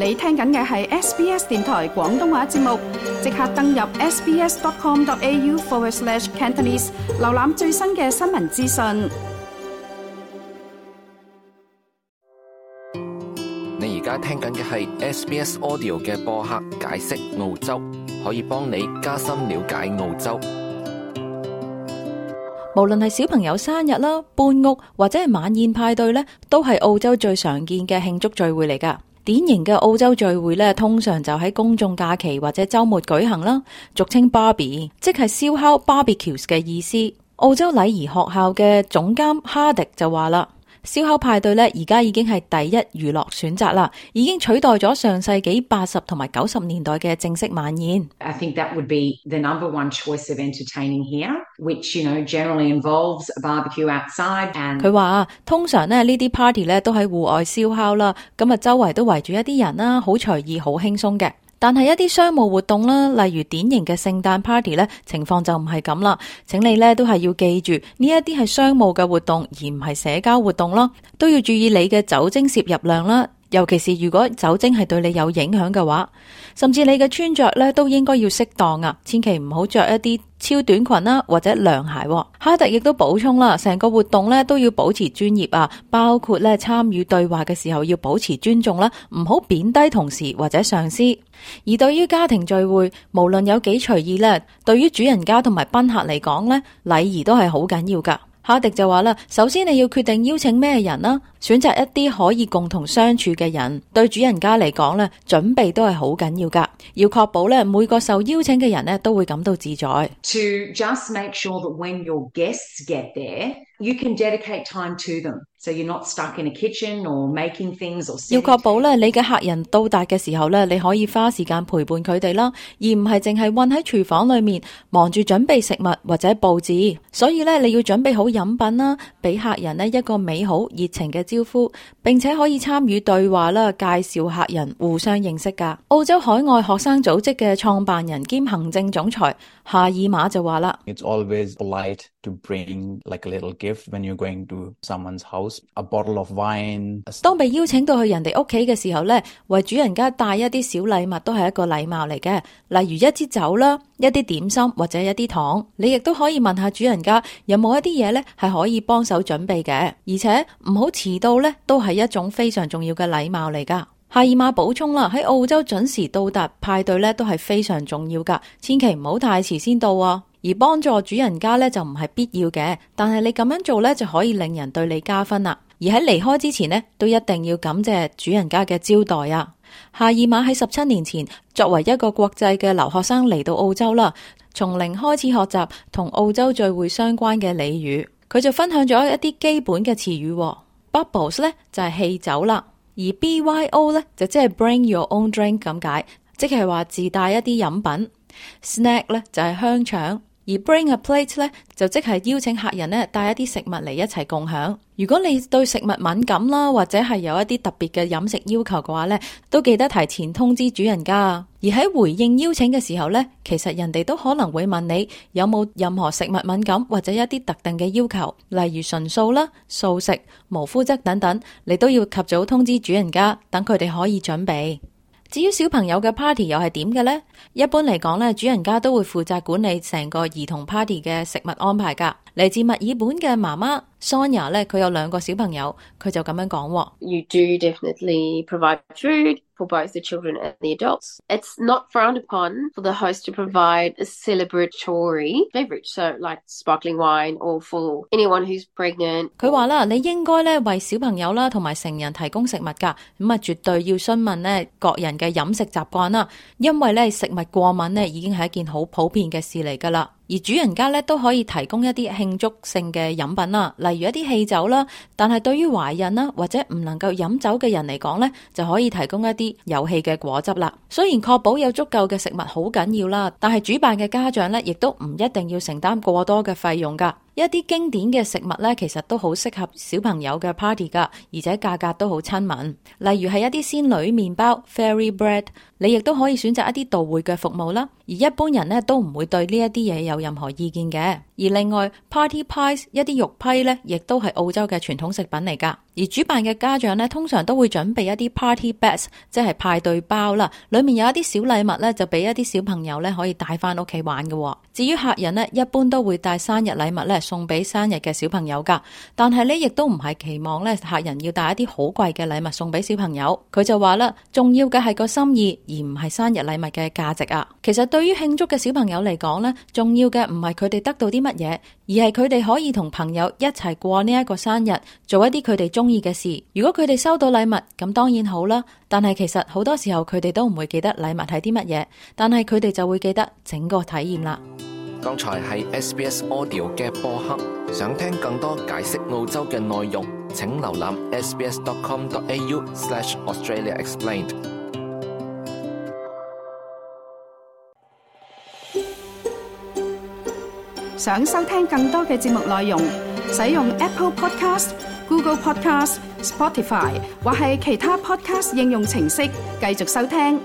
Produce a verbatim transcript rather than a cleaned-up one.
你聽緊嘅係 S B S 電台廣東話節目，即刻登入 sbs.com.au forward slash Cantonese， 瀏覽最新嘅新聞資訊。你而家聽緊嘅係 S B S Audio 嘅播客解釋澳洲，可以幫你加深了解澳洲。無論係小朋友生日啦、搬屋或者係晚宴派對咧，都係澳洲最常見嘅慶祝聚會嚟㗎。典型嘅澳洲聚會咧，通常就喺公眾假期或者週末舉行啦，俗稱 Barbie， 即係燒烤 barbecues 嘅意思。澳洲禮儀學校嘅總監哈迪就話啦，燒烤派對咧，而家已經係第一娛樂選擇啦，已經取代咗上世紀八十同埋九十年代嘅正式晚宴。I think that would be the number one choice of entertaining here, which, you know, generally involves a barbecue outside. And 佢話通常咧呢啲 party 咧都喺戶外燒烤啦，咁啊周圍都圍住一啲人啦，好隨意，好輕鬆嘅。但係一啲商務活動啦，例如典型嘅聖誕 party 咧，情況就唔係咁啦。請你咧都係要記住，呢一啲係商務嘅活動，而唔係社交活動咯。都要注意你嘅酒精攝入量啦，尤其是如果酒精係對你有影響嘅話，甚至你嘅穿着咧都應該要適當啊，千祈唔好着一啲超短裙啦，或者涼鞋。哈特亦都補充啦，成個活動咧都要保持專業啊，包括咧參與對話嘅時候要保持尊重啦，唔好貶低同事或者上司。而對於家庭聚會，無論有幾隨意咧，對於主人家同埋賓客嚟講咧，禮儀都係好緊要噶。哈迪就話啦，首先你要決定邀請咩人啦，選擇一啲可以共同相處嘅人。對主人家嚟講咧，準備都係好緊要噶，要確保咧每個受邀請嘅人咧都會感到自在。to just make sure that when your guests get there, you can dedicate time to them. So you're not stuck in a kitchen or making things or 要確保咧你嘅客人到達嘅時候咧，你可以花時間陪伴佢哋啦，而唔係淨係困喺廚房裏面忙住準備食物或者佈置。所以咧你要準備好飲品啦，俾客人呢一個美好熱情嘅招呼，並且可以參與對話啦，介紹客人互相認識噶。澳洲海外學生組織嘅創辦人兼行政總裁夏爾馬就話啦， It's always polite to bring like a little gift when you're going to someone's house, a bottle of wine. 當被邀請到去人哋屋企嘅時候呢，為主人家帶一啲小禮物都係一個禮貌嚟嘅，例如一支酒啦，一啲點心或者一啲糖。你亦都可以問下主人家有冇一啲嘢呢係可以幫手準備嘅，而且唔好遲到呢都係一種非常重要嘅禮貌嚟噶。夏爾馬補充啦，喺澳洲準時到達派對呢都係非常重要噶，千祈唔好太遲先到啊。而幫助主人家呢就唔係必要嘅，但係你咁樣做呢就可以令人對你加分啦。而喺離開之前呢，都一定要感謝主人家嘅招待啊。夏爾馬喺十七年前作為一個國際嘅留學生嚟到澳洲啦，從零開始學習同澳洲聚會相關嘅俚語，佢就分享咗一啲基本嘅詞語。Bubbles 呢就係汽酒啦，而 B Y O 呢就即係 Bring Your Own Drink 咁解，即係話自帶一啲飲品。Snack 呢就係香腸。而 bring a plate 咧就即係邀請客人咧帶一啲食物嚟一齊共享。如果你對食物敏感啦，或者係有一啲特別嘅飲食要求嘅話咧，都記得提前通知主人家。而喺回應邀請嘅時候咧，其實人哋都可能會問你有冇任何食物敏感或者一啲特定嘅要求，例如純素啦、素食、無麩質等等，你都要及早通知主人家，等佢哋可以準備。至於小朋友嘅 party 又係點嘅呢？一般嚟講咧，主人家都會負責管理成個兒童 party 嘅食物安排噶。嚟自墨爾本嘅媽媽 Sonia 咧，佢有兩個小朋友，佢就咁樣講。You do definitely provide food for both the children and the adults. It's not frowned upon for the host to provide a celebratory beverage, so like sparkling wine or for anyone who's pregnant. 佢話啦，你應該咧為小朋友啦同埋成人提供食物噶，咁啊絕對要詢問咧各人嘅飲食習慣啦，因為咧食物過敏咧已經係一件好普遍嘅事嚟噶啦。而主人家咧都可以提供一啲慶祝性嘅飲品啦，例如一啲汽酒啦。但係對於懷孕啦或者唔能夠飲酒嘅人嚟講咧，就可以提供一啲有氣嘅果汁啦。雖然確保有足夠嘅食物好緊要啦，但係主辦嘅家長咧亦都唔一定要承擔過多嘅費用噶。一啲經典嘅食物咧，其實都好適合小朋友嘅 party 噶，而且價格都好親民。例如係一啲仙女麵包 Fairy Bread， 你亦都可以選擇一啲到會嘅服務啦。而一般人咧都唔會對呢一啲嘢有任何意見嘅。而而另外 party pies 一啲肉批呢，亦都係澳洲嘅傳統食品嚟㗎。而主辦嘅家長呢，通常都會準備一啲 party bags， 即係派對包啦，裡面有一啲小禮物呢，就俾一啲小朋友呢可以帶翻屋企玩嘅。至於客人呢，一般都會帶生日禮物呢送俾生日嘅小朋友㗎，但係呢亦都唔係期望呢客人要帶一啲好貴嘅禮物送俾小朋友。佢就話啦，重要嘅係個心意，而唔係生日禮物嘅價值啊。其實對於慶祝嘅小朋友嚟講呢，重要嘅唔係佢哋得到啲乜嘢，而係佢哋可以同朋友一齊過呢一個生日，做一啲佢哋中意嘅事。如果佢哋收到禮物，咁當然好啦，但係其實好多時候佢哋都唔會記得禮物係啲乜嘢，但係佢哋就會記得整個體驗啦。剛才係 S B S Audio 嘅播客，想聽更多解釋澳洲嘅內容，請瀏覽 s b s dot com dot a u slash Australia Explained。想收聽更多嘅節目內容，使用 Apple Podcast、Google Podcast、Spotify 或係其他 Podcast 應用程式繼續收聽。